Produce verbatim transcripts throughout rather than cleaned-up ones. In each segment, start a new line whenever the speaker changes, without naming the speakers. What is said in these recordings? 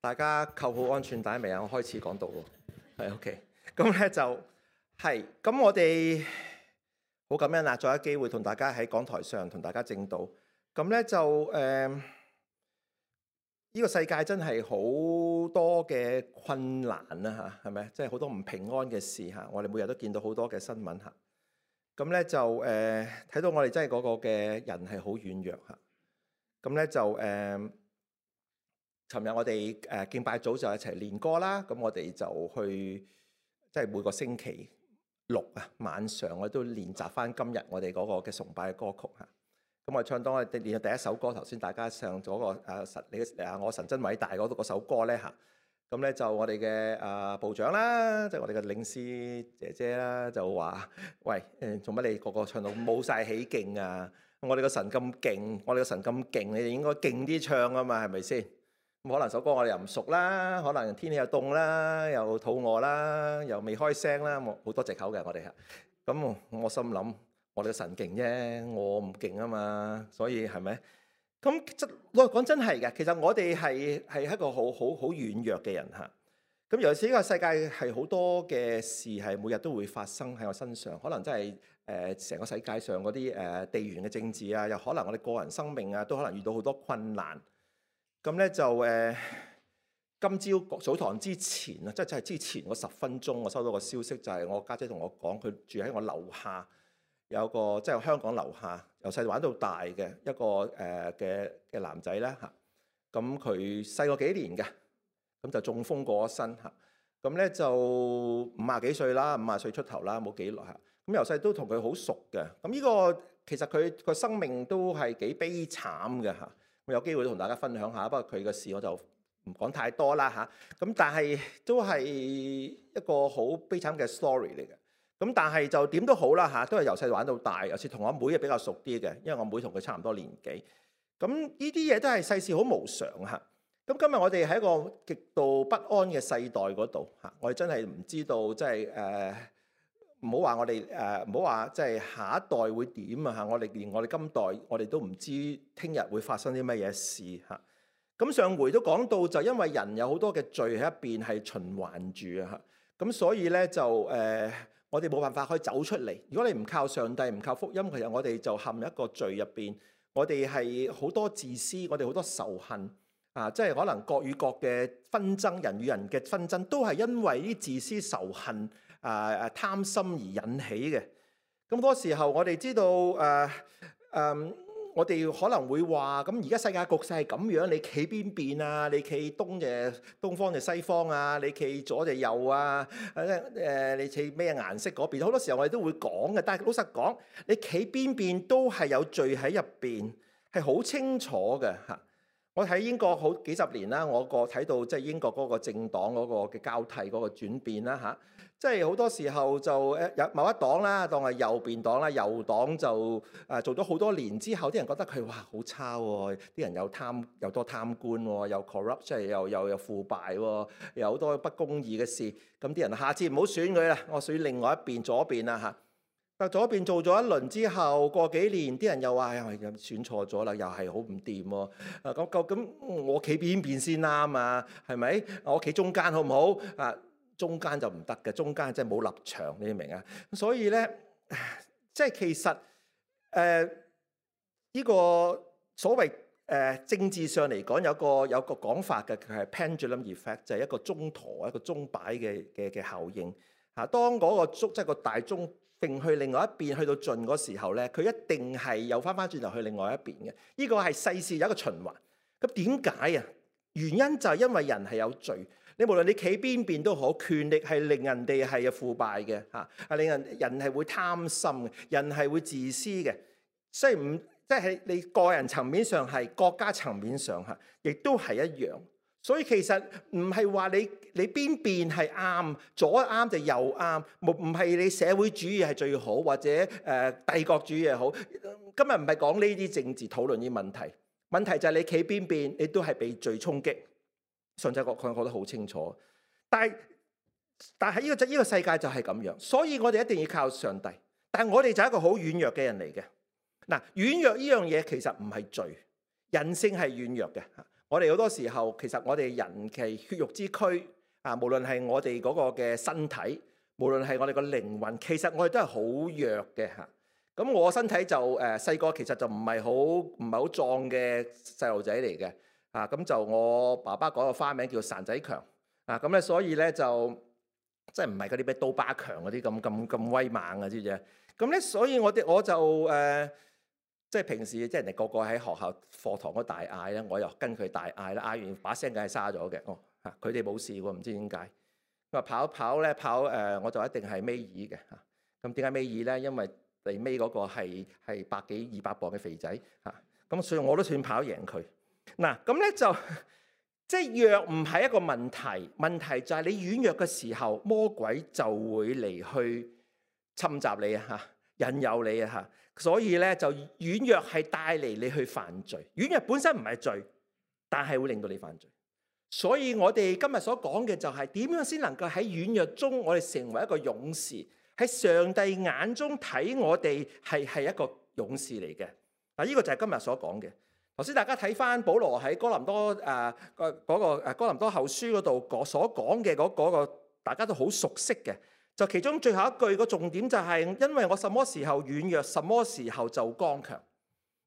大家扣好安全帶未啊？我開始講到喎，係 OK。咁咧就係咁，我哋好感恩啊！再一機會同大家喺講台上同大家證道。咁咧就誒，呢、呃呢個世界真係好多嘅困難啦嚇，係咪？即係好多唔平安嘅事嚇。我哋每日都見到好多嘅新聞嚇。咁咧就誒睇、呃、到我哋真係嗰個嘅人係好軟弱嚇。咁咧就誒。呃尋日我哋誒敬拜組就一齊練歌啦，咁我哋就去即係每個星期六啊晚上我都練習翻今日我哋嗰個嘅崇拜嘅歌曲嚇。咁我唱當我哋練咗第一首歌，頭先大家唱咗個誒神你誒我神真偉大嗰嗰首歌咧嚇。咁咧就我哋嘅誒部長啦，即係我哋嘅領詩姐姐啦，就話：喂誒，做乜你個個唱到冇晒起勁啊？我哋個神咁勁，我哋個神咁勁，你哋應該勁啲唱啊嘛，係咪先？咁可能首歌我哋又唔熟啦，可能天氣又凍啦，又肚餓啦，又未開聲啦，好多藉口嘅我哋嚇。咁我心諗，我哋嘅神勁啫，我唔勁啊嘛，所以係咪？咁真我講真係嘅，其實我哋係係一個好好好軟弱嘅人嚇。咁尤其是呢個世界係好多嘅事係每日都會發生喺我身上，可能真係誒成個世界上嗰啲誒地緣嘅政治啊，又可能我哋個人生命啊，都可能遇到好多困難。咁咧就誒、呃，今朝早堂之前啊，即係即係之前嗰十分鐘，我收到個消息，就係我家姐同我講，佢住喺我樓下，有個即係香港樓下，由細玩到大嘅一個誒嘅嘅男仔咧嚇。咁佢細個幾年嘅，咁就中風過咗身嚇。咁咧就五廿幾歲啦，五廿歲出頭啦，冇幾耐嚇。咁由細都同佢好熟嘅。咁呢個其實佢個生命都係幾悲慘嘅嚇。我有機會同大家分享下，不過佢嘅事我就唔講太多啦嚇。咁但係都係一個好悲慘嘅 story 嚟嘅。咁但係就點都好啦嚇，都係由細玩到大，有時同我妹係比較熟啲嘅，因為我妹同佢差唔多年紀。咁呢啲嘢都係世事好無常嚇。咁今日我哋喺一個極度不安嘅世代嗰度嚇，我哋真係唔知道即係誒。唔好話我哋誒，唔好話即係下一代會點啊嚇！我哋連我哋今代，我哋都唔知聽日會發生啲乜嘢事嚇。咁上回都講到，就因為人有好多嘅罪喺一邊係循環住啊嚇。咁所以咧就誒、呃，我哋冇辦法可以走出嚟。如果你唔靠上帝，唔靠福音，其實我哋就陷入一個罪入邊。我哋係好多自私，我哋好多仇恨啊！即係可能國與國嘅紛爭，人與人嘅紛爭，都係因為啲自私仇恨。誒誒、啊、貪心而引起嘅，咁多時候我哋知道誒誒、啊啊，我哋可能會話，咁而家世界局勢係咁樣，你企邊邊啊？你企東嘅東方定西方啊？你企左定右啊？誒、啊、你企咩顏色嗰邊？好多時候我哋都會講嘅，但係老實講，你企邊邊都係有罪喺入邊，係好清楚嘅嚇。我喺英國好幾十年啦，我個睇到即係英國嗰個政黨嗰個嘅交替嗰個轉變啦嚇。即係好多時候就誒有某一黨啦，當係右邊黨啦，右黨就誒做咗好多年之後，啲人覺得佢哇好差喎，啲人又貪又多貪官喎，又 corrupt 即係又又又腐敗喎，有好多不公義嘅事。咁啲人下次唔好選佢啦，我選另外一邊左邊啦嚇。但左邊做咗一輪之後，過幾年啲人又話又選錯咗啦，又係好唔掂喎。啊咁咁咁，我企邊邊先啱啊？係咪？我企中間好唔好啊？中間就唔得嘅，中間真係冇立場，你明啊？所以咧，即係其實誒呢、呃這個所謂誒、呃、政治上嚟講，有個有個講法嘅，佢係 pendulum effect，就係一個鐘陀一個鐘擺嘅嘅嘅效應嚇。當嗰個鐘即係個大鐘揈去另外一邊，去到盡嗰時候咧，佢一定係又翻翻轉頭去另外一邊嘅。呢、這個係世事有一個循環。咁點解啊？原因就係因為人係有罪。你無論你企邊邊都好，權力係令人哋係腐敗嘅嚇，係令人人係會貪心嘅，人係會自私嘅。所以唔即係你個人層面上係，國家層面上嚇，亦都係一樣。所以其實唔係話你你邊邊係啱，左啱就右啱，唔唔係你社會主義係最好，或者誒、呃、帝國主義係好。今日唔係講呢啲政治討論啲問題，問題就係你企邊邊，你都係被罪衝擊。上帝講佢講得好清楚，但係但係呢個呢個世界就係咁樣，所以我哋一定要靠上帝。但係我哋就係一個好軟弱嘅人嚟嘅。嗱，軟弱呢樣嘢其實唔係罪，人性係軟弱嘅。我哋好多時候其實我哋人嘅血肉之軀啊，無論係我哋嗰個嘅身體，無論係我哋個靈魂，其實我哋都係好弱嘅嚇。咁我身體就誒細個其實就唔係好唔係好壯嘅細路仔嚟嘅啊。咁就我爸爸改個花名叫孱仔強啊。咁咧所以咧就即係唔係嗰啲咩刀疤強嗰啲咁咁咁威猛嘅知唔知啊？咁咧所以我哋我就誒。呃即係平時即係人哋個個喺學校課堂嗰大嗌咧，我又跟佢大嗌啦，嗌完把聲梗係沙咗嘅。哦，嚇佢哋冇事喎，唔知點解。佢話跑跑咧跑誒、呃，我就一定係尾二嘅嚇。咁點解尾二咧？因為嚟尾嗰個係係百幾二百磅嘅肥仔嚇。咁、啊、所以我都算跑贏佢。嗱咁咧就即係弱唔係一個問題，問題就係你軟弱嘅時候，魔鬼就會嚟去侵襲你啊嚇，引誘你啊嚇。所以咧就軟弱係帶嚟你去犯罪，軟弱本身唔係罪，但係會令到你犯罪。所以我哋今日所講嘅就係點樣先能夠喺軟弱中，我哋成為一個勇士，喺上帝眼中睇我哋係係一個勇士嚟嘅。嗱，呢個就係今日所講嘅。頭先大家睇翻保羅喺哥林多誒個嗰個誒哥林多後書嗰度所講嘅嗰嗰個，大家都好熟悉嘅。就其中最後一句個重點就係，因為我什麼時候軟弱，什麼時候就剛強。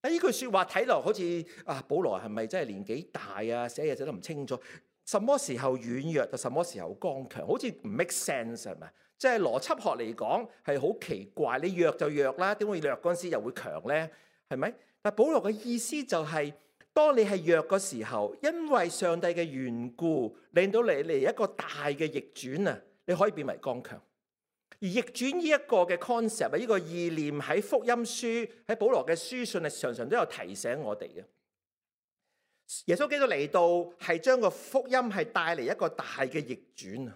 啊，呢句説話睇落好似啊，保羅係咪真係年紀大啊？寫嘢寫得唔清楚。什麼時候軟弱就什麼時候剛強，好似唔 make sense 係咪？即係邏輯學嚟講係好奇怪。你弱就弱啦，點會弱嗰陣時又會強咧？係咪？但保羅嘅意思就係，當你係弱嘅時候，因為上帝嘅緣故，令到你嚟一個大嘅逆轉啊，你可以變為剛強。而逆轉呢一個嘅 concept，呢個意念喺福音書喺保羅嘅書信係常常都有提醒我哋嘅。耶穌基督嚟到係將個福音係帶嚟一個大嘅逆轉。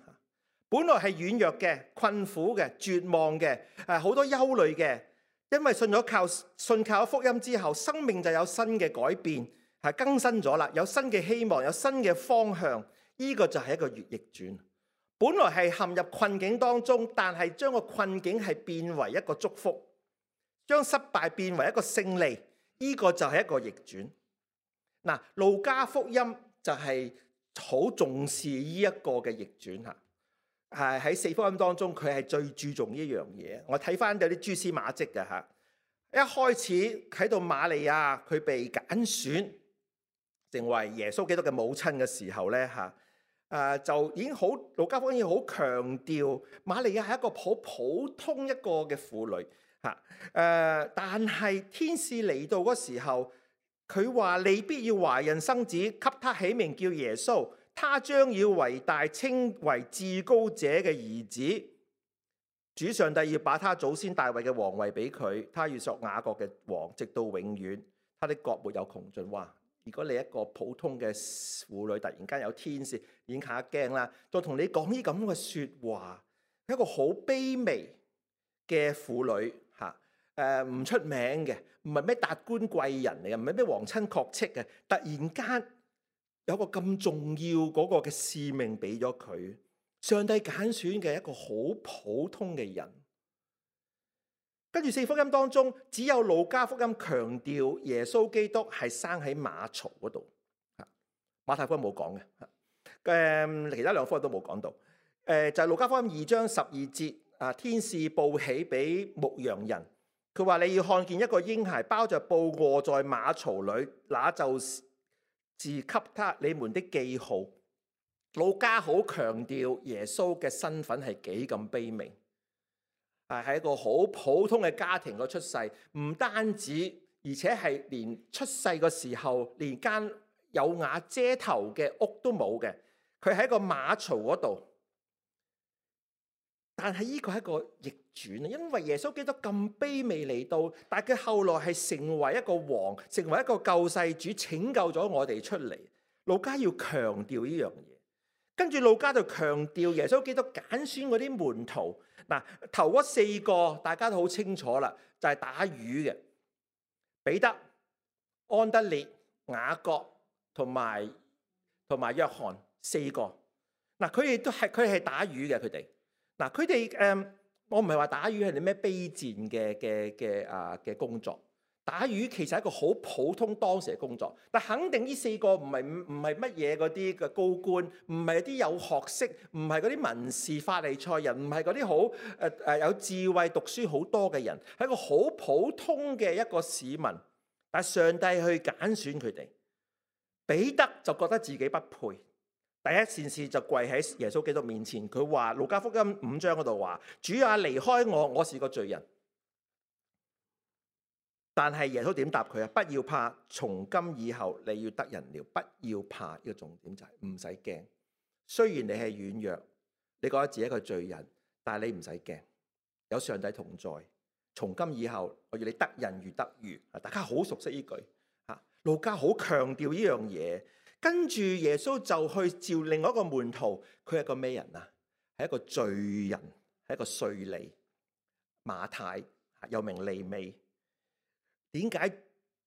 本來係軟弱嘅、困苦嘅、絕望嘅、誒好多憂慮嘅，因為信咗靠信靠福音之後，生命就有新嘅改變，係更新咗啦，有新嘅希望，有新嘅方向。呢個就係一個逆轉。本來係陷入困境當中，但係將個困境係變為一個祝福，將失敗變為一個勝利，呢個就係一個逆轉。嗱，路加福音就係好重視呢一個嘅逆轉嚇，係喺四福音當中，佢係最注重呢樣嘢。我睇翻有啲蛛絲馬跡嘅嚇，一開始喺到瑪利亞佢被揀選成為耶穌基督嘅母親嘅時候咧嚇。誒、呃、就已經好，路加福音好強調瑪利亞係一個好普通一個嘅婦女嚇。誒、呃，但係天使嚟到嗰時候，佢話你必要懷孕生子，給他起名叫耶穌，他將要為大，稱為至高者嘅兒子。主上帝要把他祖先大衛嘅皇位俾佢，他要作雅各嘅王，直到永遠，他的國沒有窮盡。哇！如果你一個普通嘅婦女，突然間有天使，已經嚇一驚啦。再同你講呢咁嘅説話，一個好卑微嘅婦女嚇，誒唔出名嘅，唔係咩達官貴人嚟嘅，唔係咩皇親國戚嘅。突然間有個咁重要嗰個嘅使命俾咗佢，上帝揀選嘅一個好普通嘅人。跟住四福音當中，只有路加福音強調耶穌基督係生喺馬槽嗰度，馬太福音冇講嘅，誒其他兩福音都冇講到。誒就係路加福音二章十二節，啊天使報喜俾牧羊人，佢話你要看見一個嬰孩包着布臥在馬槽裏，那就是給他你們的記號。路加好強調耶穌嘅身份係幾咁卑微。係喺一個好普通嘅家庭個出世，唔單止，而且係連出世個時候連間有瓦遮頭嘅屋都冇嘅。佢喺個馬槽嗰度，但係呢個係一個逆轉啊！因為耶穌基督咁卑微嚟到，但係佢後來係成為一個王，成為一個救世主，拯救咗我哋出嚟。路加要強調呢樣嘢，跟住路加就強調耶穌基督揀選嗰啲門徒。嗱，頭嗰四個大家都好清楚啦，就係打魚嘅彼得、安德烈、雅各同埋同埋約翰四個。嗱，佢哋都係佢係打魚嘅，佢哋嗱佢哋誒，我唔係話打魚係啲咩卑賤嘅嘅嘅啊嘅工作，打魚其實係一個好普通當時嘅工作，但肯定呢四個唔係唔係乜嘢嗰啲嘅高官，唔係啲有學識，唔係嗰啲文士法利賽人，唔係嗰啲好誒誒有智慧、讀書好多嘅人，係一個好普通嘅一個市民。但係上帝去揀選佢哋，彼得就覺得自己不配，第一件事就跪喺耶穌基督面前，佢話路加福音五章嗰度話：主啊，離開我，我是個罪人。但係耶穌點答佢啊？不要怕，從今以後你要得人了。不要怕，呢個重點就係唔使驚。雖然你係軟弱，你覺得自己一個罪人，但係你唔使驚，有上帝同在。從今以後，我要你得人如得魚。大家好熟悉呢句啊，路加好強調呢樣嘢。跟住耶穌就去召另外一個門徒，佢係個咩人啊？係一個罪人，係一個稅吏，馬太，又名利未。點解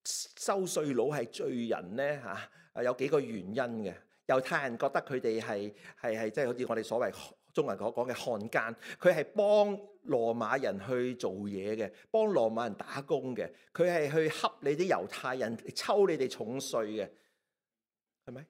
收稅佬係罪人呢？嚇，有幾個原因嘅。猶太人覺得佢哋係係係即係好似我哋所謂中文所講嘅漢奸，佢係幫羅馬人去做嘢嘅，幫羅馬人打工嘅，佢係去恰你啲猶太人，抽你哋重稅嘅，係咪？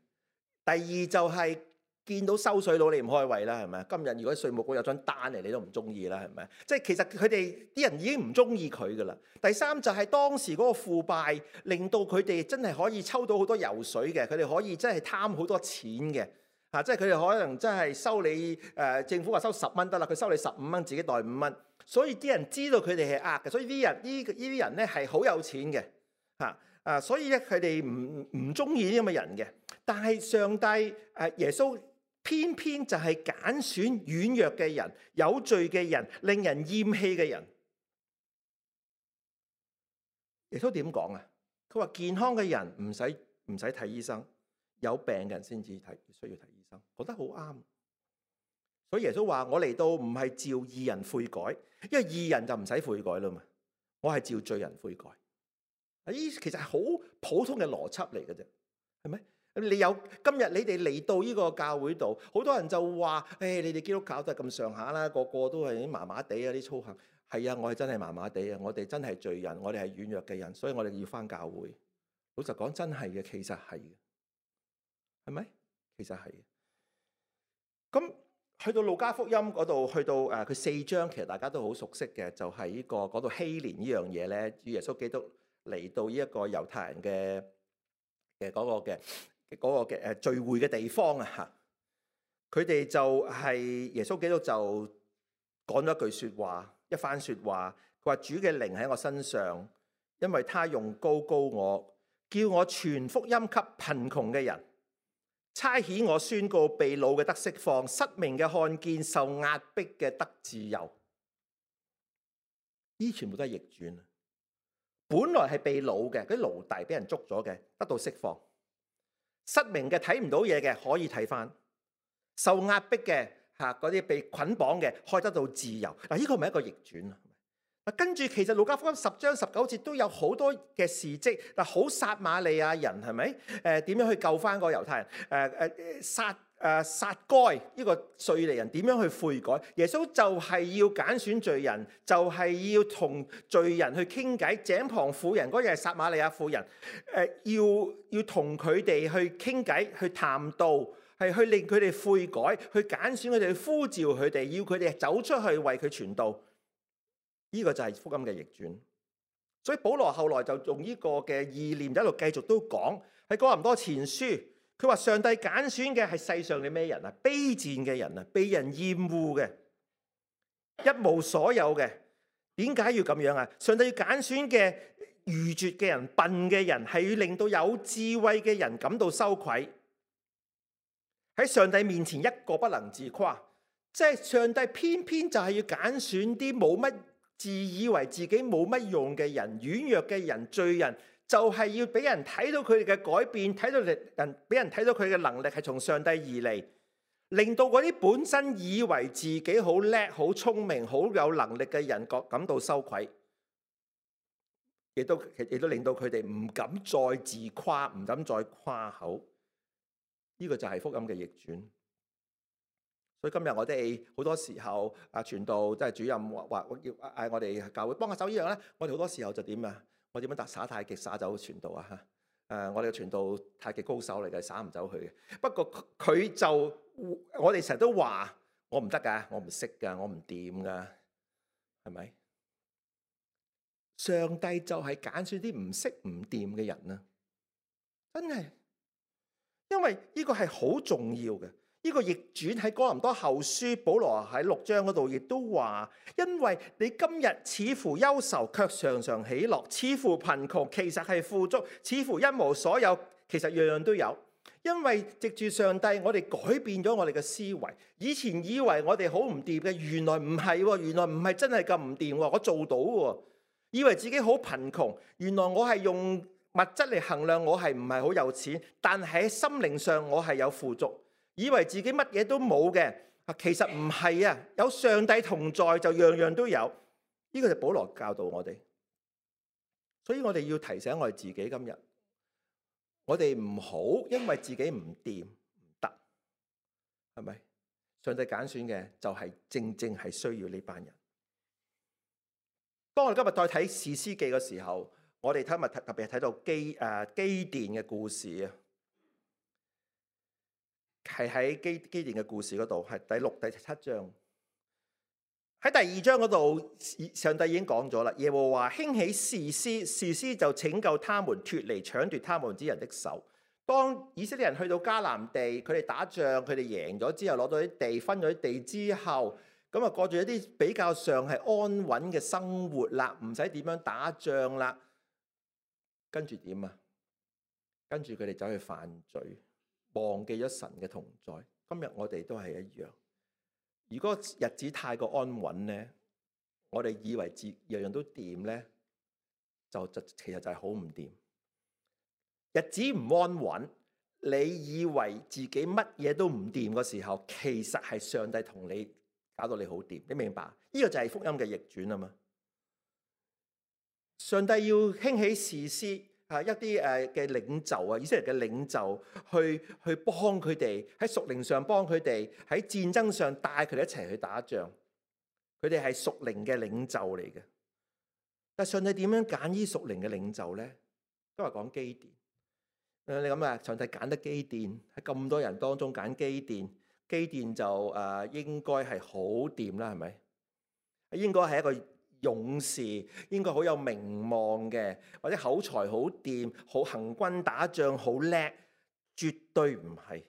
第二就係、是。見到收稅佬你唔開胃啦，係咪？今日如果稅務局有張單嚟，你都唔中意啦，係咪？即係其實佢哋啲人已經唔中意佢噶啦。第三就係當時嗰個腐敗，令到佢哋真係可以抽到好多油水嘅，佢哋可以真係貪好多錢嘅。啊，即係佢哋可能真係收你誒、呃、政府話收十蚊得啦，佢收你十五蚊，自己袋五蚊。所以啲人知道佢哋係呃嘅，所以啲人呢呢啲人咧係好有錢嘅。嚇啊，所以咧佢哋唔唔中意呢啲咁嘅人嘅。但係上帝誒、呃、耶穌。偏偏就係揀選軟弱嘅人、有罪嘅人、令人厭棄嘅人。耶穌點講啊？佢話健康嘅人唔使唔使睇醫生，有病嘅人先至睇需要睇醫生，覺得好啱。所以耶穌話：我嚟到唔係召義人悔改，因為義人就唔使悔改啦嘛。我係召罪人悔改。啊，呢其實係好普通嘅邏輯嚟嘅啫，係咪？你有今日你哋嚟到呢個教會度，好多人就話：誒、哎，你哋基督教都係咁上下啦，個個都係啲麻麻地啊，啲操行。係啊，我係真係麻麻地啊，我哋真係罪人，我哋係軟弱嘅人，所以我哋要返教會。老實講，真係嘅，其實係嘅，係咪？其實係嘅。咁去到路加福音嗰度，去到誒佢四章，其實大家都好熟悉嘅，就係、是、呢、這個講到禧年呢樣嘢咧，主耶穌基督嚟到呢一個猶太人嘅嘅嗰個嘅。嗰個嘅誒聚會嘅地方啊嚇，佢哋就係耶穌基督就講咗一句説話，一番説話。佢話：主嘅靈喺我身上，因為他用膏膏我，叫我傳福音給貧窮嘅人，差遣我宣告被擄嘅得釋放，失明嘅看見，受壓迫嘅得自由。呢全部都係逆轉。本來係被擄嘅嗰啲奴隸，俾人捉咗嘅，得到釋放。失明嘅睇唔到嘢嘅可以睇返，受壓迫嘅嚇嗰啲被捆綁嘅可以得到自由。嗱，呢個咪一個逆轉啊！嗱，跟住其實路加福音十章十九節都有好多嘅事蹟。嗱，好撒瑪利亞人係咪？誒點樣去救返個猶太人？誒誒殺誒殺該呢個稅吏人點樣去悔改？耶穌就係要揀選罪人，就係、是、要同罪人去傾偈。井旁婦人嗰日係撒瑪利亞婦人，誒要要同佢哋去傾偈，去談道，係去令佢哋悔改，去揀選佢哋，去呼召佢哋，要佢哋走出去為佢傳道。呢、這個就係福音嘅逆轉。所以保羅後來就用呢個嘅意念一路繼續都講喺哥林多前書。佢話上帝揀選嘅係世上嘅咩人啊？卑賤嘅人啊，被人厭惡嘅，一無所有嘅。點解要咁樣啊？上帝要揀選嘅愚拙嘅人、笨嘅人，係要令到有智慧嘅人感到羞愧。喺上帝面前一個不能自誇，即係上帝偏偏就係要揀選啲冇乜自以為自己冇乜用嘅人、軟弱嘅人、罪人。就係要俾人睇到佢哋嘅改變，睇到人俾人睇到佢嘅能力係從上帝而嚟，令到嗰啲本身以為自己好叻、好聰明、好有能力嘅人覺感到羞愧，亦都亦都令到佢哋唔敢再自誇，唔敢再誇口。呢個就係福音嘅逆轉。所以今日我哋好多時候啊，傳道即係主任話話要嗌我哋教會幫下手呢樣咧，我哋好多時候就點啊？我點樣打耍太極耍走傳道啊？嚇！誒，我哋嘅傳道太極高手嚟嘅，耍唔走佢嘅。不過佢就我哋成日都話我唔得㗎，我唔識㗎，我唔掂㗎，係咪？上帝就係揀選啲唔識唔掂嘅人啊！真係，因為呢個係好重要嘅。呢個逆轉喺哥林多後書，保羅喺六章嗰度亦都話，因為你今日似乎憂愁，卻常常喜樂；似乎貧窮，其實係富足；似乎一無所有，其實樣樣都有。因為藉住上帝，我哋改變咗我哋嘅思維。以前以為我哋好唔掂嘅，原來唔係喎，原來唔係真係咁唔掂喎，我做到喎。以為自己好貧窮，原來我係用物質嚟衡量，我係唔係好有錢，但喺心靈上我係有富足。以為自己乜嘢都冇嘅，其實唔係啊！有上帝同在就樣樣都有。呢個就保羅教導我哋，所以我哋要提醒我哋自己，今日我哋唔好因為自己唔掂唔得，係咪？上帝揀選嘅就係正正係需要呢班人。當我哋今日再睇士師記嘅時候，我哋今日特別係睇到基誒基甸嘅故事啊。係喺基基甸嘅故事嗰度，係第六、第七章。喺第二章嗰度，上帝已經講咗啦。耶和華興起士師，士師就拯救他們脫離搶奪他們之人的手。當以色列人去到迦南地，佢哋打仗，佢哋贏咗之後，攞到啲地，分咗啲地之後，咁啊過住一啲比較上係安穩嘅生活啦，唔使點樣打仗啦。跟住點啊？跟住佢哋走去犯罪。忘記咗神嘅同在。今日我哋都係一樣。如果日子太過安穩咧，我哋以為自樣樣都掂咧，就就其實就係好唔掂。日子唔安穩，你以為自己乜嘢都唔掂嘅時候，其實係上帝同你搞到你好掂。你明白？呢個就係福音嘅逆轉啊嘛。上帝要興起士師。啊！一啲誒嘅領袖啊，以色列嘅領袖去去幫佢哋喺屬靈上幫佢哋喺戰爭上帶佢哋一齊去打仗。佢哋係屬靈嘅領袖嚟嘅。但上帝點樣揀呢屬靈嘅領袖咧？都係講基甸。誒，你諗下，上帝揀得基甸喺咁多人當中揀基甸，基甸就誒應該係好掂啦，係咪？應該係一個勇士，應該好有名望嘅，或者口才好掂，好行軍打仗好叻，絕對唔係。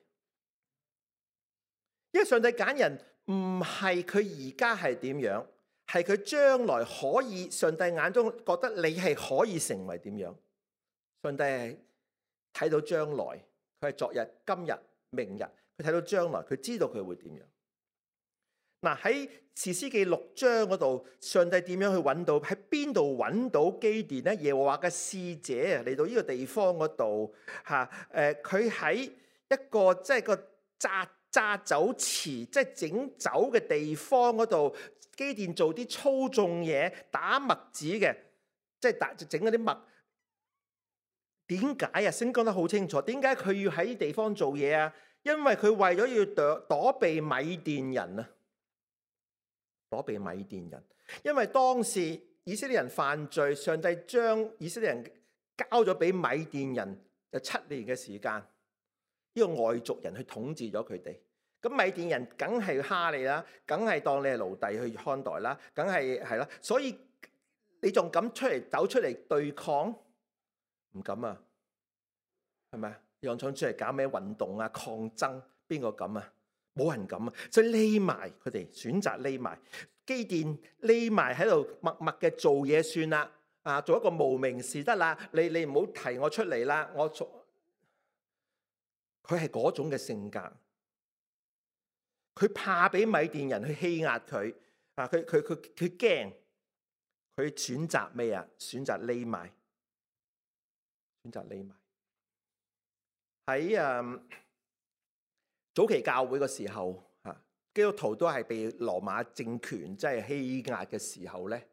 因為上帝揀人唔係佢而家係點樣，係佢將來可以，上帝眼中覺得你係可以成為點樣。上帝係睇到將來，佢係昨日、今日、明日，佢睇到將來，佢知道佢會點樣。嗱，喺士師記六章嗰度，上帝點樣去揾到？喺邊度揾到基甸咧？耶和華嘅使者嚟到呢個地方嗰度，嚇誒，佢喺一個即係個榨榨酒池，即係整酒嘅地方嗰度，基甸做啲粗重嘢，打麥子嘅，即係打整嗰啲麥。點解啊？聖經講得好清楚，點解佢要喺地方做嘢啊？因為佢為咗要躲躲避米甸人啊！躲避米甸人，因為當時以色列人犯罪，上帝將以色列人交咗俾米甸人，就七年嘅時間，呢個外族人去統治咗佢哋。咁米甸人梗係蝦你啦，梗係當你係奴隸去看待啦，梗係係啦。所以你仲敢出嚟走出嚟對抗？唔敢啊，係咪啊？又想出嚟搞咩運動啊、抗爭？邊個敢啊？冇人敢啊！所以匿埋，佢哋選擇匿埋。基甸匿埋喺度默默嘅做嘢算啦，啊，做一個無名氏得啦。你你唔好提我出嚟啦，我做。佢係嗰種嘅性格，佢怕俾米甸人去欺壓佢啊！佢佢佢佢驚，佢選擇咩啊？選擇匿埋，選擇匿埋喺誒。早期教會嘅時候，嚇基督徒都係被羅馬政權即係欺壓嘅時候咧，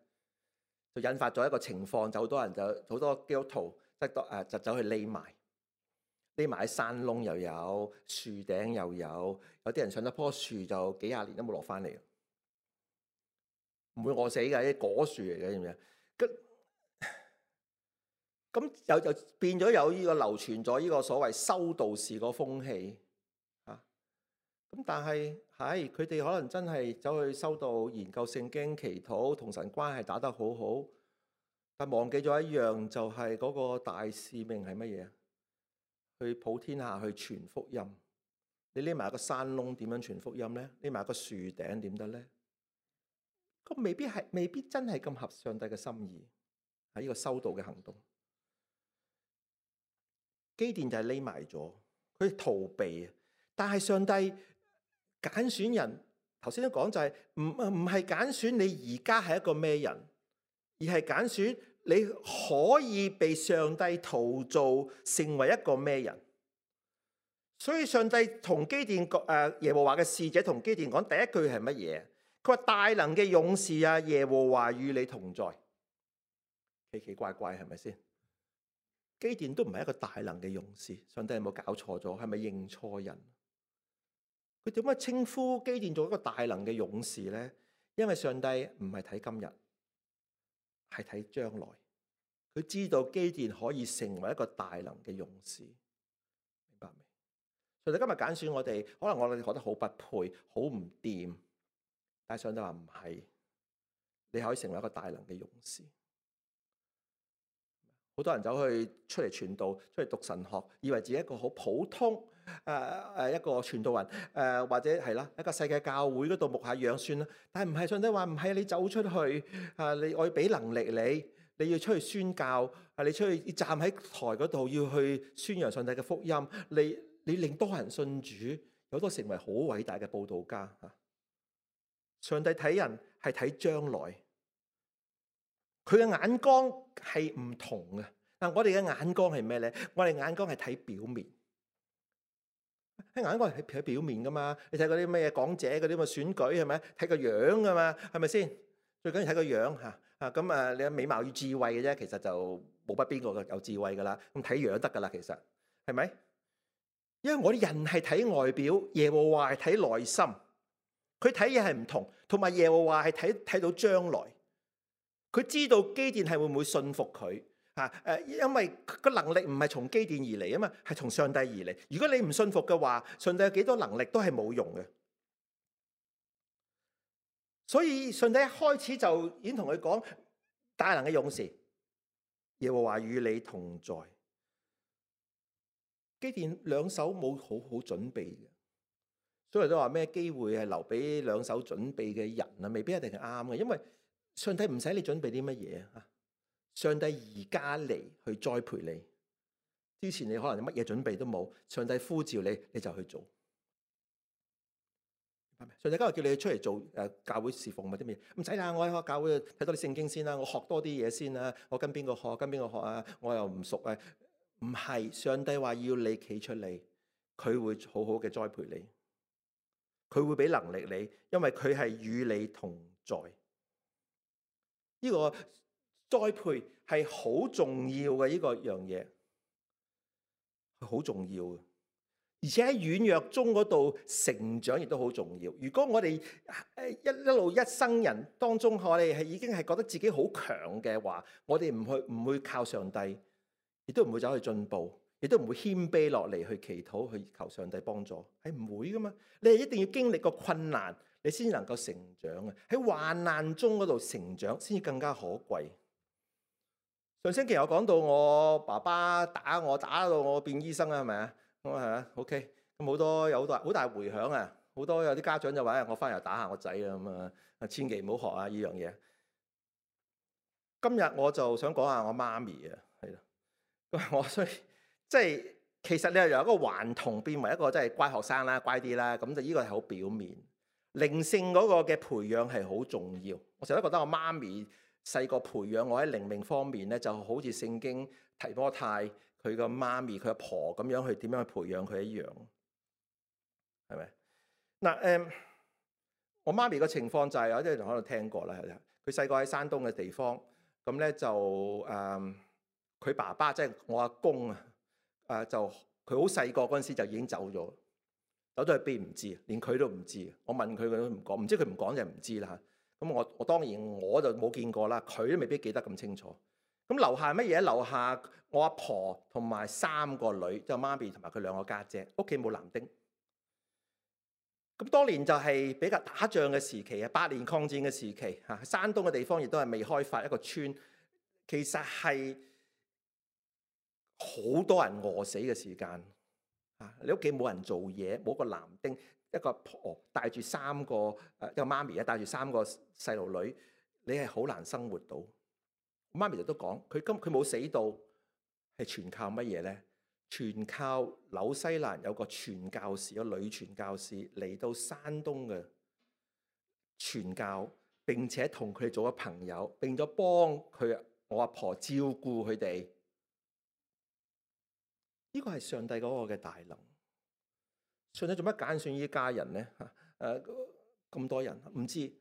就引發咗一個情況，就好多人就好多基督徒即係誒就走去匿埋，匿埋喺山窿又有，樹頂又有，有啲人上咗棵樹就幾廿年都冇落翻嚟，唔會餓死嘅，啲果樹嚟嘅，知唔知啊？咁又就變咗有呢個流傳咗呢個所謂修道士個風氣啊。咁但係係佢哋可能真係走去修道、研究聖經、祈禱、同神關係打得好好，但忘記咗一樣，就係嗰個大使命係乜嘢？去普天下去傳福音。你匿埋一個山窿點樣傳福音咧？匿埋一個樹頂點得咧？咁未必係，未必真係咁合上帝嘅心意喺呢個修道嘅行動。基甸就係匿埋咗，佢逃避。但係上帝揀選人，頭先都講就係唔唔係揀選你而家係一個咩人，而係揀選你可以被上帝陶造成為一個咩人。所以上帝同基甸誒耶和華嘅使者同基甸講第一句係乜嘢？佢話大能嘅勇士啊，耶和華與你同在。奇奇怪怪係咪先？基甸都唔係一個大能嘅勇士，上帝有冇搞錯咗？係咪認錯人？佢點解稱呼基甸做一個大能嘅勇士咧？因為上帝唔係睇今日，係睇將來。佢知道基甸可以成為一個大能嘅勇士，明白未？上帝今日揀選我哋，可能我哋覺得好不配，好唔掂，但係上帝話唔係，你可以成為一個大能嘅勇士。好多人走去出嚟傳道，出嚟讀神學，以為自己一個好普通誒誒、呃、一個傳道人誒、呃，或者係啦一個世界教會嗰度牧下養算啦。但係唔係，上帝話唔係，你走出去啊！你我要俾能力你，你要出去宣教啊！你出去站喺台嗰度要去宣揚上帝嘅福音，你你令多人信主，有多成為好偉大嘅佈道家嚇。上帝睇人係睇將來。佢嘅眼光係唔同嘅。嗱，我哋嘅眼光係咩咧？我哋眼光係睇表面，喺眼光係睇表面噶嘛。你睇嗰啲咩講者嗰啲咁嘅選舉係咪？睇個樣噶嘛，係咪先？最緊要睇個樣嚇啊！咁啊，你有美貌與智慧嘅啫，其實就冇乜邊個有智慧噶啦。咁睇樣得噶啦，其實係咪？因為我哋人係睇外表，耶和華係睇內心。佢睇嘢係唔同，同埋耶和華係睇睇到將來。佢知道基甸係會唔會信服佢啊？誒，因為個能力唔係從基甸而嚟啊嘛，係從上帝而嚟。如果你唔信服嘅話，上帝有幾多能力都係冇用嘅。所以上帝一開始就已經同佢講，大能嘅勇士，耶和華與你同在。基甸兩手冇好好準備嘅，所以都話咩機會係留俾兩手準備嘅人啊？未必一定係啱嘅，因為上帝唔使你準備啲乜嘢啊！上帝而家嚟去栽培你，之前你可能乜嘢準備都冇，上帝呼召你，你就去做。上帝今日叫你出嚟做誒教會侍奉或者乜嘢，唔使啦，我喺教會睇多啲聖經先啦，我學多啲嘢先啦，我跟邊個學，跟邊個學啊？我又唔熟啊！唔係，上帝話要你企出嚟，佢會好好嘅栽培你，佢會俾能力你，因為佢係與你同在。呢個栽培係好重要嘅，呢個樣嘢係好重要嘅，而且喺軟弱中嗰度成長亦都好重要。如果我哋誒一一路一生人當中，我哋係已經係覺得自己好強嘅話，我哋唔去唔會靠上帝，亦都唔會走去進步，亦都唔會謙卑落嚟去祈禱去求上帝幫助，係唔會噶嘛。你係一定要經歷個困難，你先至能夠成長啊！喺患難中嗰度成長，先至更加可貴。上星期我講到我爸爸打我，打到我變醫生啊，係咪啊？咁啊係啊 ，OK。咁好多有好大好大迴響啊！好多有啲家長就話：我翻嚟打下我仔啊咁啊！千祈唔好學啊呢樣嘢。今日我就想講下我媽咪啊，係啦。咁我所以即係其實你係由一個頑童變為一個真係乖學生啦，乖啲啦。咁就呢個係好表面。靈性嗰個嘅培養係好重要，我成日都覺得我媽咪細個培養我喺靈命方面咧，就好似聖經提摩太佢個媽咪佢阿婆咁樣去點樣去培養佢一樣，係咪？嗱、嗯、誒，我媽咪個情況就係、是、有啲人可能聽過啦，係啦，佢細個喺山東嘅地方，咁咧就誒佢、嗯、爸爸即係、就是、我阿公啊，誒就佢好細個嗰陣時就已經走咗。走咗去邊唔知，連佢都唔知。我問佢，佢都唔講，唔知佢唔講就唔知啦。咁我我當然我就冇見過啦，佢都未必記得咁清楚。咁留下乜嘢？留下我阿婆同埋三個女，即係媽咪同埋佢兩個家姐，屋企冇男丁。咁當年就係比較打仗嘅時期啊，八年抗戰嘅時期嚇，山東嘅地方亦都係未開發一個村，其實係好多人餓死嘅時間啊！你屋企冇人做嘢，冇個男丁，一個阿婆帶住三個誒一個媽咪啊，帶住三個細路女，你係好難生活到。媽咪就都講，佢今佢冇死到，係全靠乜嘢咧？全靠紐西蘭有個傳教士，有女傳教士嚟到山東嘅傳教，並且同佢哋做咗朋友，並咗幫佢我阿婆照顧佢哋。呢個係上帝嗰個嘅大能。上帝做乜揀選呢家人咧？嚇誒咁多人唔知。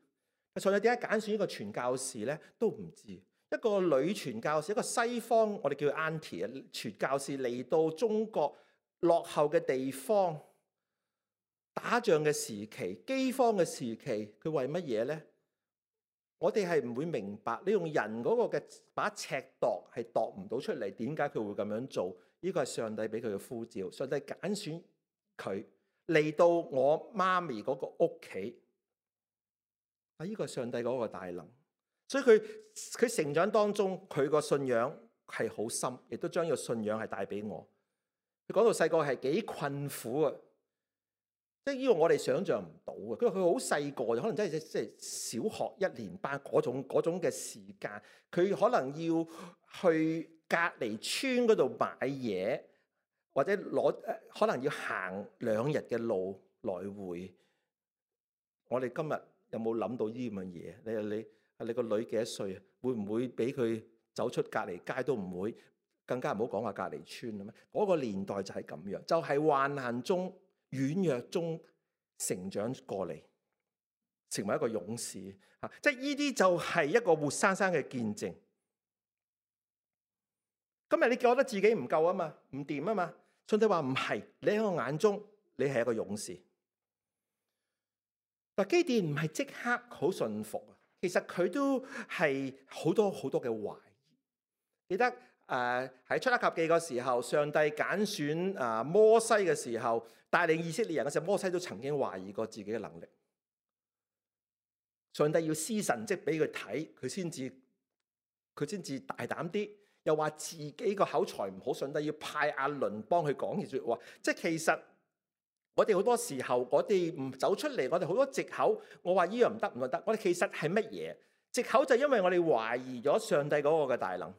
上帝點解揀選呢個傳教士咧？都唔知。一個女傳教士，一個西方我哋叫 auntie 啊，傳教士嚟到中國落後嘅地方，打仗嘅時期、饑荒嘅時期，佢為乜嘢咧？我哋係唔會明白，你用人嗰個嘅把尺度係度唔到出嚟，點解佢會咁樣做？呢個係上帝俾佢嘅呼召，上帝揀選佢嚟到我媽咪嗰個屋企。啊，呢個係上帝嗰個大能。所以佢佢成長當中，佢個信仰係好深，亦都將呢個信仰係帶俾我。佢講到細個係幾困苦啊，即係呢個我哋想象唔到啊。佢話佢好細個，可能真係即係小學一年班嗰種嗰種嘅時間，佢可能要去隔離村嗰度買嘢，或者攞可能要行兩日嘅路來回。我哋今日有冇諗到呢咁嘅嘢？你你？你個女幾多歲啊？會唔會俾佢走出隔離街都唔會？更加唔好講話隔離村啊！咩嗰個年代就係咁樣，就係患難中、軟弱中成長過嚟，成為一個勇士嚇。即係呢啲就係一個活生生嘅見證。今日你覺得自己唔夠啊嘛，唔掂啊嘛？上帝話唔係，你喺我眼中你係一個勇士。但基甸唔係即刻好順服啊。其實佢都係好多好多嘅懷疑。記得誒喺出埃及記嗰時候，上帝揀選啊摩西嘅時候，帶領以色列人嘅時候，摩西都曾經懷疑過自己嘅能力。上帝要施神蹟俾佢睇，佢先至佢先至大膽啲。又話自己個口才唔好，上帝要派亞倫幫佢講句説話。即係其實。我哋好多時候，我哋唔走出嚟，我哋好多藉口。我話呢樣唔得，唔得。我哋其實係乜嘢？藉口就係因為我哋懷疑咗上帝嗰個嘅大能。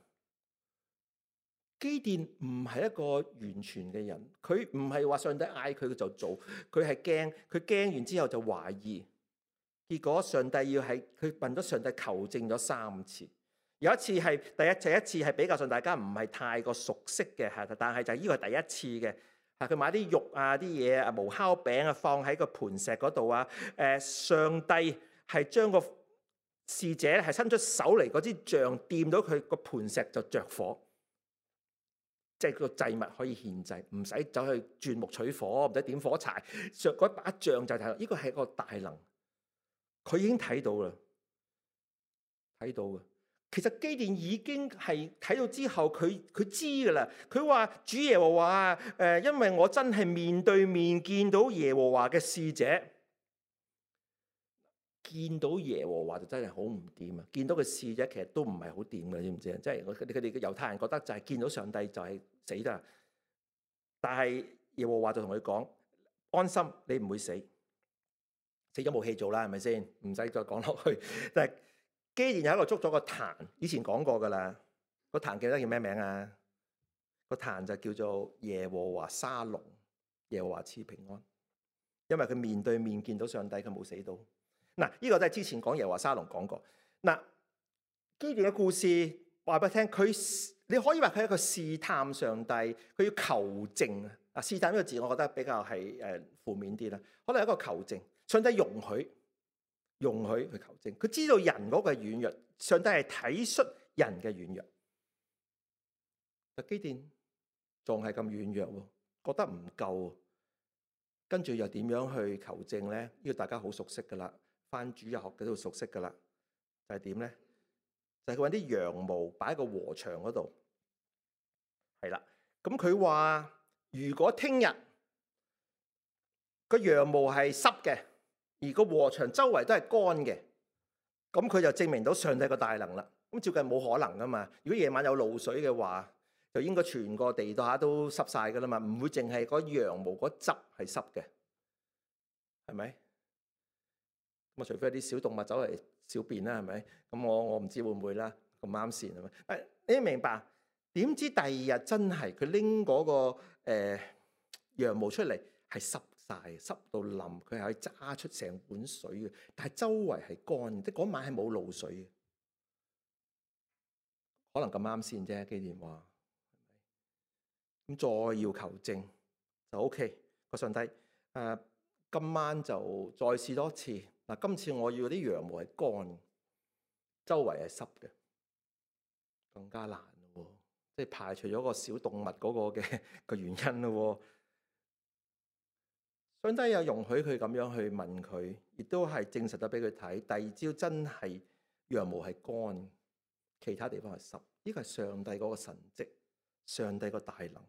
基甸唔係一個完全嘅人，佢唔係話上帝嗌佢就做，佢係驚，佢驚完之後就懷疑。結果上帝要係佢問咗上帝求證咗三次，有一次係第一，第一次係比較上大家唔係太過熟悉嘅，係，但係就呢個係第一次嘅。佢買啲肉啊、啲嘢啊、無酵餅啊，放喺個盤石嗰度啊。誒，上帝係將個使者係伸出手嚟，嗰支杖掂到佢個盤石就着火，即係個祭物可以獻祭，唔使走去鑽木取火，唔使點火柴。上嗰把杖就睇，呢個係一個大能，佢已經睇到啦，睇到嘅。其實基甸已經係睇到之後，佢佢知噶啦。佢話主耶和華誒，因為我真係面對面見到耶和華嘅使者，見到耶和華就真係好唔掂啊！見到個使者其實都唔係好掂嘅，知唔知啊？即係佢哋佢哋嘅猶太人覺得就係見到上帝就係死得，但係耶和華就同佢講：安心，你唔會死，死咗冇戲做啦，係咪先？唔使再講落去，但係。基甸有一個捉咗個壇，以前講過噶啦。個壇記得叫咩名啊？個壇就叫做耶和華沙龍，耶和華賜平安。因為佢面對面見到上帝，佢冇死到。嗱，呢個都係之前講耶和華沙龍講過。嗱，基甸嘅故事話俾你聽，佢你可以話佢係一個試探上帝，佢要求證啊。啊，試探呢個字，我覺得比較係誒負面啲啦。可能係一個求證，上帝容許。容許去求證，佢知道人嗰個軟弱，上帝係體恤人嘅軟弱。但基甸仲係咁軟弱，覺得唔夠，跟住又點樣去求證咧？呢個大家好熟悉噶啦，翻主日學嗰度熟悉噶啦，就係點咧？就係佢揾啲羊毛擺喺個禾場嗰度。係啦，咁佢話如果聽日個羊毛係濕嘅，而個禾場周圍都係乾嘅，咁佢就證明到上帝個大能啦。咁照計冇可能噶嘛。如果夜晚有露水嘅話，就應該全個地下都濕晒噶啦嘛，唔會淨係嗰羊毛嗰汁係濕嘅，係咪？咁啊，除非啲小動物走嚟小便啦，係咪？咁我我唔知會唔會啦，咁啱線係咪？誒，你明白？點知第二日真係佢拎嗰個誒、呃、羊毛出嚟係濕晒，濕到淋，佢係可以揸出成碗水嘅，但係周圍係乾，即係嗰晚係冇露水嘅，可能咁啱先啫。基甸話，咁再要求證就 OK。個上帝誒、呃、今晚就再試多次嗱，今次我要啲羊毛係乾，周圍係濕嘅，更加難咯，即係排除咗個小動物嗰個嘅個原因咯。上帝又容許佢咁樣去問佢，亦都係證實咗俾佢睇。第二朝真係羊毛係乾，其他地方係濕。呢個係上帝嗰個神蹟，上帝個大能。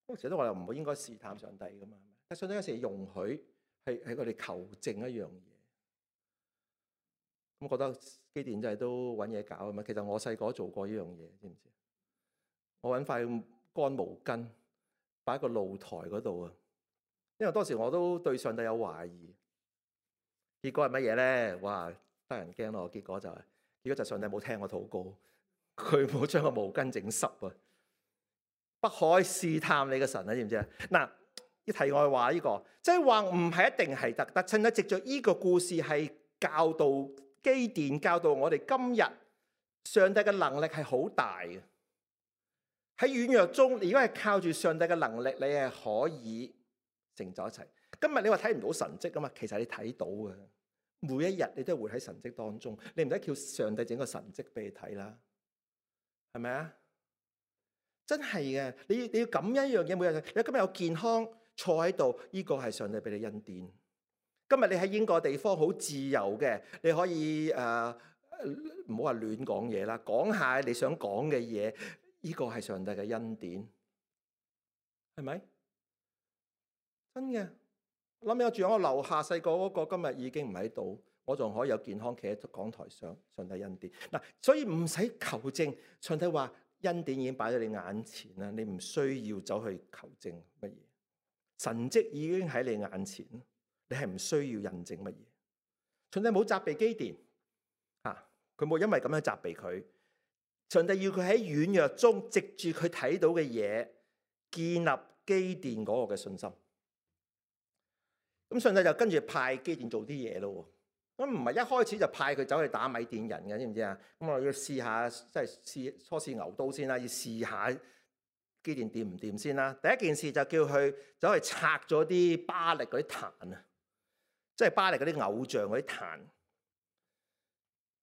嗰時都話又唔會應該試探上帝噶嘛，但上帝有時容許係係佢哋求證一樣嘢。咁覺得基甸真係都揾嘢搞啊嘛。其實我細個做過呢樣嘢，知唔知？我揾塊乾毛巾擺喺個露台嗰度啊，因為當時我都對上帝有懷疑。結果係乜嘢咧？哇，得人驚咯！結果就係、是，結果就上帝冇聽我禱告，佢冇將個毛巾整濕啊！不可試探你嘅神啊，知唔知啊？嗱，一題外話呢、這個，即係話唔係一定係得得，趁得藉著呢個故事係教導基甸，教導我哋今日上帝嘅能力係好大嘅。喺軟弱中，如果係靠住上帝嘅能力，你係可以成就一切。今日你話睇唔到神蹟啊嘛，其實你睇到嘅，每一日你都係活喺神蹟當中，你唔使叫上帝整個神蹟俾你睇啦，係咪啊？真係嘅，你你要感恩一樣嘢，每日你今日有健康坐喺度，呢個係上帝俾你恩典。今日你喺英國地方好自由嘅，你可以誒唔好話亂講嘢啦，講下你想講嘅嘢，呢個係上帝嘅恩典，係咪？真嘅，諗起我住喺我樓下細個嗰個，今日已經唔喺度，我仲可以有健康企喺講台上，上帝恩典嗱，所以唔使求證，上帝話。恩典已經擺喺你眼前啦，你唔需要走去求證乜嘢，神蹟已經喺你眼前，你係唔需要印證乜嘢。上帝冇責備基甸啊，佢冇因為咁樣責備佢。上帝要佢喺軟弱中，藉住佢睇到嘅嘢，建立基甸嗰個嘅信心。咁上帝就跟住派基甸做啲嘢咯。咁唔係一開始就派佢走去打米甸人嘅，知唔知啊？咁我要試下，即係試初試牛刀先啦，要試下基甸掂唔掂先啦。第一件事就叫佢走去拆咗啲巴力嗰啲壇啊，即係巴力嗰啲偶像嗰啲壇。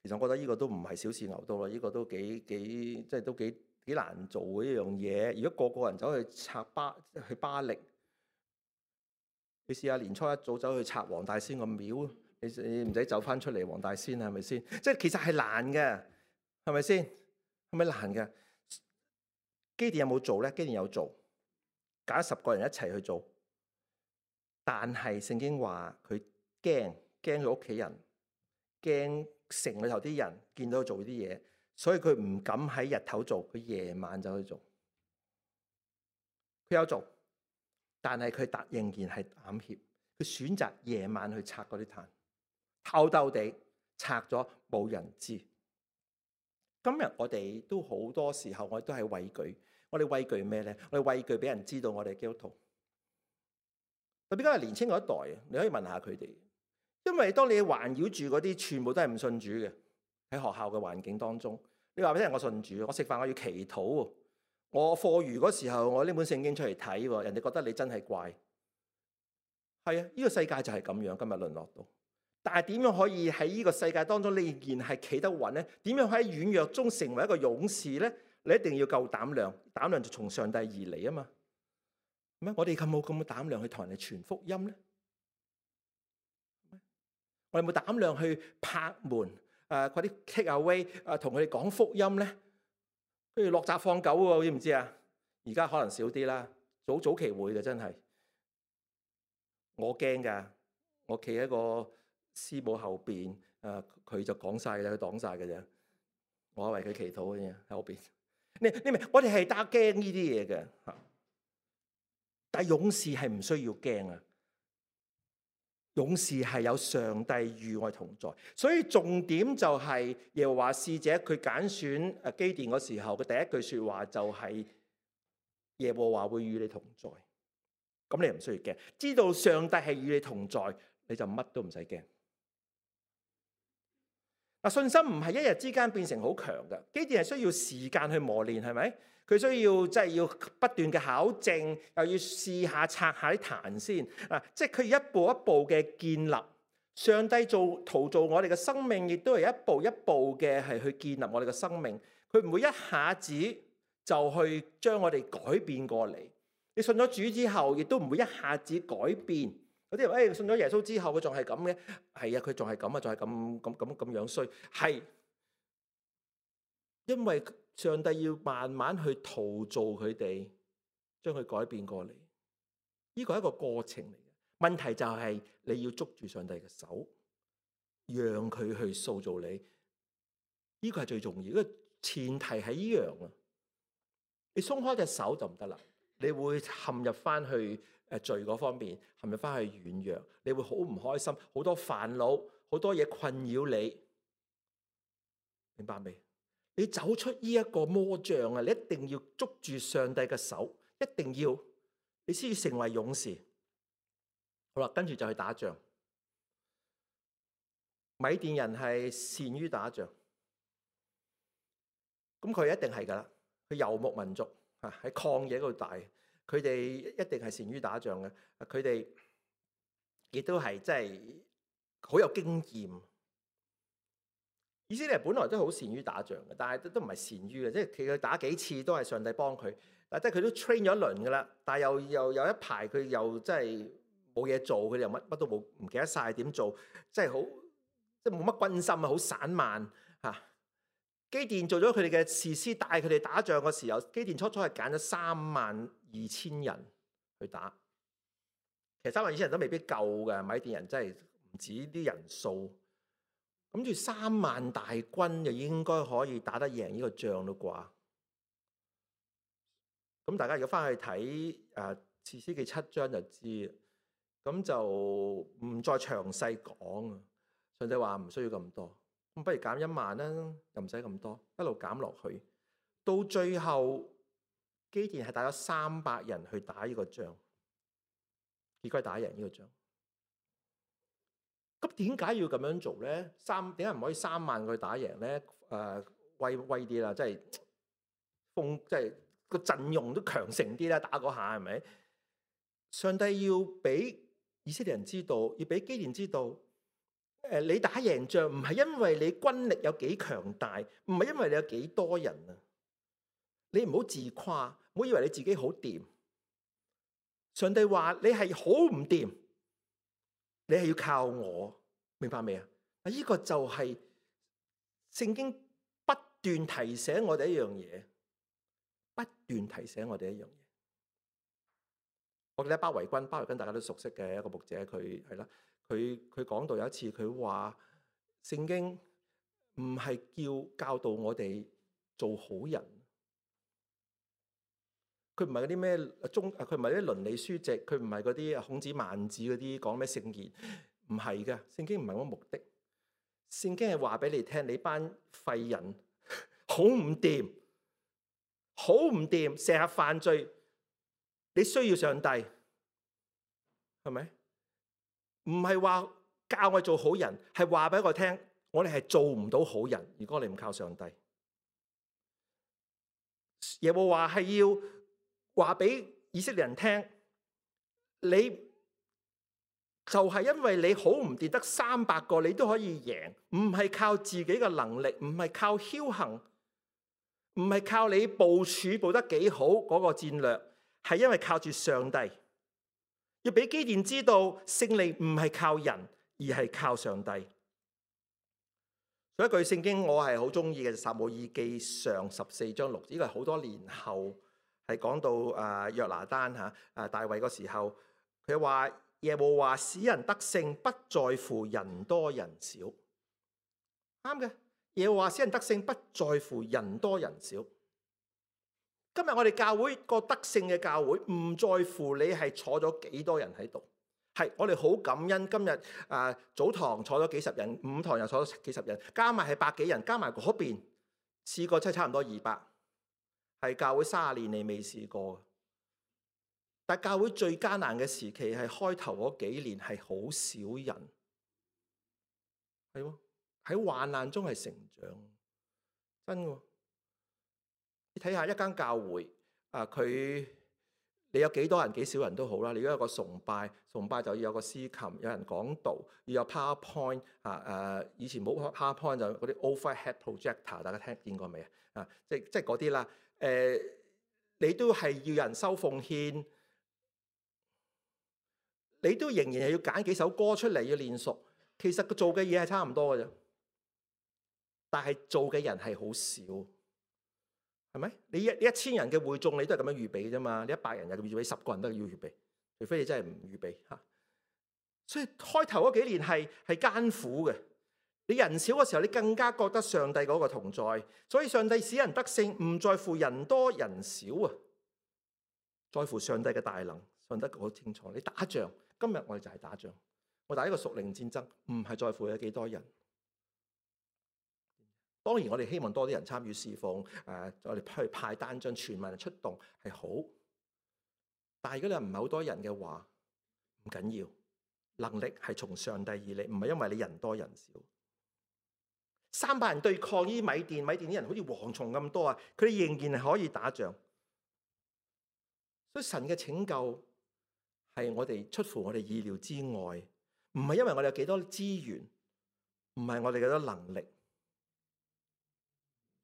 其實我覺得呢個都唔係小試牛刀啦，呢、這個都幾幾即係都幾幾難做嘅一樣嘢。如果個個人走去拆巴去巴力，你試下年初一早走去拆黃大仙個廟。你你唔使走翻出嚟黃大仙係咪先？即係其實係難嘅，係咪先？係咪難嘅？基甸有冇做咧？基甸有做，揀十個人一齊去做。但係聖經話佢驚，驚佢屋企人，驚城裏頭啲人見到佢做啲嘢，所以佢唔敢喺日頭做，佢夜晚就去做。佢有做，但係佢突仍然係膽怯，佢選擇夜晚去拆嗰啲炭。偷偷地拆咗，冇人知。今日我哋都好多時候，我哋都係畏懼。我哋畏懼咩咧？我哋畏懼俾人知道我哋係基督徒。特別今日年青嗰一代，你可以問下佢哋。因為當你環繞住嗰啲全部都係唔信主嘅，喺學校嘅環境當中，你話俾人我信主，我食飯我要祈禱，我課餘嗰時候我拎本聖經出嚟睇，人哋覺得你真係怪。係啊，呢個世界就係咁樣，今日淪落到。但係點樣可以喺呢個世界當中你仍然係企得穩咧？點樣喺軟弱中成為一個勇士咧？你一定要夠膽量，膽量就從上帝而嚟啊嘛。咩？我哋有冇咁嘅膽量去同人哋傳福音咧？我哋有冇膽量去拍門誒嗰啲 take away 誒同佢哋講福音咧，跟住落閘放狗喎，知唔知啊？而家可能少啲啦，早早期會嘅真係，我驚㗎，我企喺個師母後邊，誒佢就講晒啦，佢擋晒嘅啫，我為佢祈禱嘅啫喺後邊。你你明？我哋係打驚呢啲嘢嘅嚇，但係勇士係唔需要驚啊！勇士係有上帝與我同在，所以重點就係耶和華使者佢揀選誒基甸嗰時候嘅第一句説話就係耶和華會與你同在。咁你唔需要驚，知道上帝係與你同在，你就乜都唔使驚。嗱，信心唔係一日之間變成好強嘅，基甸係需要時間去磨練，係咪？佢需要即係要不斷嘅考證，又要試下拆下啲壇先啊！即係佢一步一步嘅建立，上帝做陶造我哋嘅生命，亦都係一步一步嘅係去建立我哋嘅生命。佢唔會一下子就去將我哋改變過嚟。你信咗主之後，亦都唔會一下子改變。有啲人誒信咗耶穌之後，佢仲係咁嘅，係啊，佢仲係咁啊，仲係咁咁咁咁樣衰，係因為上帝要慢慢去陶造佢哋，將佢改變過嚟。呢個係一個過程嚟嘅。問題就係你要捉住上帝嘅手，讓佢去塑造你。呢個係最重要，因為前提係呢樣啊。你鬆開隻手就唔得啦，你會陷入翻去誒罪嗰方面，陷入翻去軟弱，你會好唔開心，好多煩惱，好多嘢困擾你，明白未？你走出呢一個魔障啊！你一定要捉住上帝嘅手，一定要，你先要成為勇士。好啦，跟住就去打仗。米甸人係善於打仗，咁佢一定係噶啦。佢游牧民族啊，喺曠野嗰度大，佢哋一定係善於打仗嘅。佢哋亦都係真係好有經驗。以色列人本來都好善於打仗嘅，但係都都唔係善於嘅，即係其實打幾次都係上帝幫佢。但係即係佢都 train 咗一輪噶啦，但係又又有一排佢又真係冇嘢做，佢哋又乜乜都冇，唔記得晒點做，即係好即係冇乜軍心啊，好散漫嚇。基甸做咗佢哋嘅士師，帶佢哋打仗嘅時候，基甸初初係揀咗三萬二千人去打。其實三萬二千人都未必夠嘅，米甸人真係唔止啲人數。諗住三萬大軍就應該可以打得贏呢個仗咯啩？咁大家如果翻去睇誒《士師記》七章就知，咁就唔再詳細講啊。上帝話唔需要咁多，咁不如減一萬啦，又唔使咁多，一路減落去，到最後基甸係帶咗三百人去打呢個仗，結果係打贏呢個仗。咁點解要咁樣做咧？三點解唔可以三萬個去打贏咧？誒、呃，威威啲啦，即係風，即係個陣容都強盛啲啦，打嗰下係咪？上帝要俾以色列人知道，要俾基甸知道，誒、呃，你打贏仗唔係因為你軍力有幾強大，唔係因為你有幾多人啊！你唔好自誇，唔好以為你自己好掂。上帝話你係好唔掂。你係要靠我，明白未啊？啊，呢個就係聖經不斷提醒我哋一樣嘢，不斷提醒我哋一樣嘢。我記得巴維君，巴維君大家都熟悉嘅一個牧者，佢係啦，佢佢講到有一次佢話，聖經唔係叫教導我哋做好人，佢唔係嗰啲咩中，佢唔係啲倫理書籍，佢唔係嗰啲孔子孟子嗰啲講咩聖賢，唔係嘅。聖經唔係嗰個目的，聖經係話俾你聽，你班廢人好唔掂，好唔掂，成日犯罪，你需要上帝，係咪？唔係話教我做好人，係話俾我聽，我哋係做唔到好人，如果你唔靠上帝。耶和華係要話俾以色列人聽，你就係因為你好唔掂，得三百個你都可以贏，唔係靠自己嘅能力，唔係靠僥倖，唔係靠你部署部得幾好嗰個戰略，係因為靠住上帝。要俾基甸知道，勝利唔係靠人，而係靠上帝。所以一句聖經我係好中意嘅，撒母耳記上十四章六節，呢個係好多年後係講到誒約拿單嚇誒大衛嗰時候，佢話耶和華使人得勝，不在乎人多人少。啱嘅，耶和華使人得勝，不在乎人多人少。今日我哋教會個得勝嘅教會，唔在乎你係坐咗幾多人喺度。係，我哋好感恩今日啊、呃、早堂坐咗幾十人，午堂又坐咗幾十人，加埋係百幾人，加埋嗰邊試過真係差唔多二百，係教會三十年嚟未試過。但教會最艱難嘅時期係開頭嗰幾年係好少人，係喎，喺患難中係成長，真嘅。你睇下一間教會啊，佢。你有幾多人幾少人都好啦，你如果有個崇拜，崇拜就要有個司琴，有人講道，要有 PowerPoint 啊誒，以前冇 PowerPoint 就嗰啲 overhead projector， 大家聽見過未啊？啊，即即係嗰啲啦。誒，你都係要人收奉獻，你都仍然係要揀幾首歌出嚟要練熟。其實佢做嘅嘢係差唔多嘅啫，但係做嘅人係好少。係咪？你一一千人嘅會眾，你都係咁樣預備啫嘛？你一百人又預備，十個人都要預備，除非你真係唔預備嚇。所以開頭嗰幾年係係艱苦嘅。你人少嘅時候，你更加覺得上帝嗰個同在。所以上帝使人得勝，唔在乎人多人少啊，在乎上帝嘅大能。上帝好清楚，你打仗，今日我哋就係打仗。我打呢個屬靈戰爭，唔係在乎有幾多人。當然，我哋希望多啲人參與侍奉，誒、呃，我哋去派單張，全民出動係好。但係如果你唔係好多人嘅話，唔緊要，能力係從上帝而嚟，唔係因為你人多人少。三百人對抗呢啲米甸，米甸啲人好似蝗蟲咁多啊，佢哋仍然係可以打仗。所以神嘅拯救係我哋出乎我哋意料之外，唔係因為我哋有幾多資源，唔係我哋幾多能力。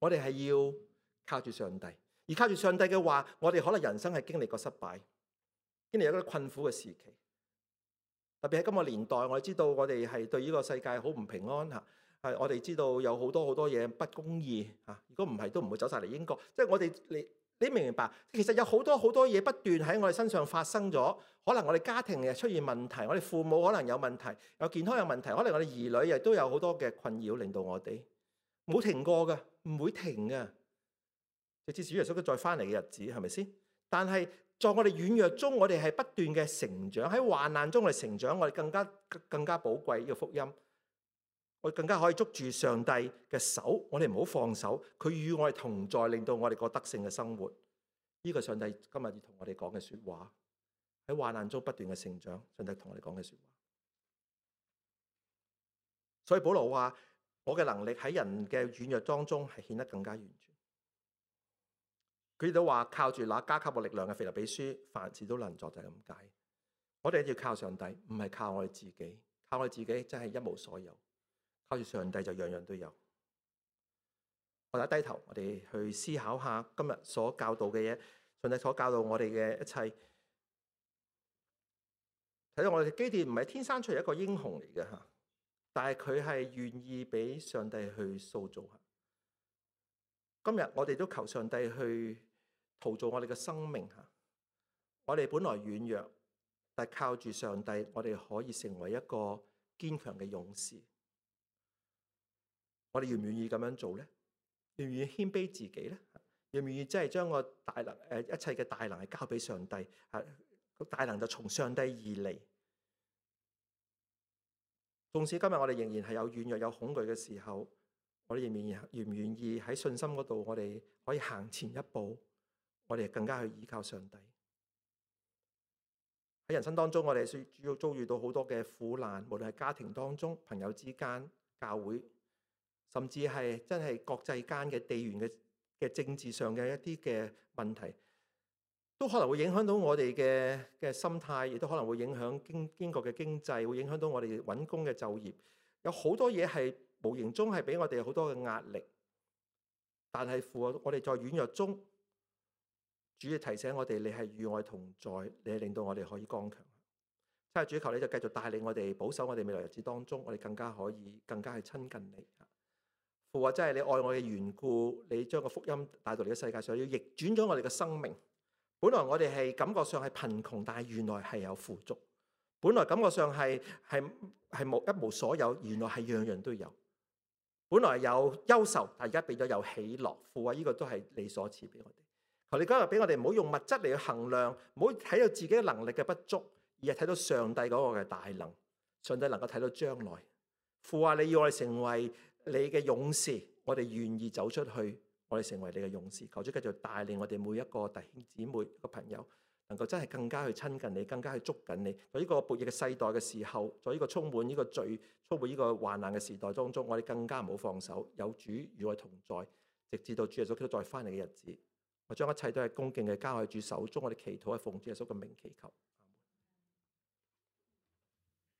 我哋係要靠住上帝，而靠住上帝嘅話，我哋可能人生係經歷過失敗，經歷一個困苦嘅時期。特別喺今個年代，我哋知道我哋係對呢個世界好唔平安嚇，係我哋知道有好多好多嘢不公義嚇。如果唔係，都唔會走晒嚟英國。即係我哋你你明唔明白？其實有好多好多嘢不斷喺我哋身上發生咗。可能我哋家庭又出現問題，我哋父母可能有問題，有健康有問題，可能我哋兒女亦都有好多嘅困擾，令到我哋冇停過㗎。唔會停嘅，直至主耶穌再翻嚟嘅日子，係咪先？但係在我哋軟弱中，我哋係不斷嘅成長，喺患難中我哋成長，我哋更加更加寶貴呢個福音，我哋更加可以捉住上帝嘅手，我哋唔好放手，佢與我哋同在，令到我哋過得勝嘅生活。呢個上帝今日要同我哋講嘅說話，喺患難中不斷嘅成長，上帝同我哋講嘅說話。所以保羅話，我嘅能力喺人嘅軟弱當中係顯得更加完全。佢哋都話靠住那加給我力量嘅腓立比書，凡事都能做，就係咁解。我哋要靠上帝，唔係靠我哋自己。靠我哋自己真係一無所有，靠住上帝就樣樣都有。我哋低頭，我哋去思考下今日所教導嘅嘢，上帝所教導我哋嘅一切。睇到我哋嘅基甸唔係天生出嚟一個英雄嚟嘅吓。但係佢係願意俾上帝去塑造。今日我哋都求上帝去陶造我哋嘅生命吓。我哋本來軟弱，但係靠住上帝，我哋可以成為一個堅強嘅勇士。我哋願唔願意咁樣做咧？願唔願意謙卑自己咧？願唔願意真係將個大能誒一切嘅大能係交俾上帝？係個大能就從上帝而嚟。縱使今日我哋仍然係有軟弱、有恐懼嘅時候，我哋仍然願唔願意喺信心嗰度，我哋可以行前一步，我哋更加去依靠上帝。喺人生當中，我哋需要遭遇到好多嘅苦難，無論係家庭當中、朋友之間、教會，甚至係真係國際間嘅地緣嘅嘅政治上嘅一啲嘅問題，都可能會影響到我哋嘅嘅心態，亦都可能會影響經經國嘅經濟，會影響到我哋揾工嘅就業。有好多嘢係無形中係俾我哋好多嘅壓力，但係父啊，我哋在軟弱中，主要提醒我哋，你係與我同在，你係令到我哋可以剛強。真係主求你就繼續帶領我哋，保守我哋未來日子當中，我哋更加可以更加去親近你。父話真係你愛我嘅緣故，你將個福音帶到嚟嘅世界上，要逆轉咗我哋嘅生命。本來我哋係感覺上係貧窮，但係原來係有富足。本來感覺上係係係冇一無所有，原來係樣樣都有。本來有憂愁，但係而家變咗有喜樂。父話呢個都係你所賜俾我哋。求你今日俾我哋唔好用物質嚟去衡量，唔好睇到自己嘅能力嘅不足，而係睇到上帝嗰個嘅大能。上帝能夠睇到將來。父話你要我哋成為你嘅勇士，我哋願意走出去，我哋成為你嘅勇士。求主繼續帶領我哋每一個弟兄姊妹、個朋友，能夠真係更加去親近你，更加去捉緊你。在呢個悖逆嘅世代嘅時候，在呢個充滿呢個罪、充滿呢個患難嘅時代當中，我哋更加唔好放手。有主與我同在，直至到主耶穌基督再翻嚟嘅日子。我將一切都係恭敬嘅交喺主手中，我哋祈禱係奉主耶穌嘅名祈求。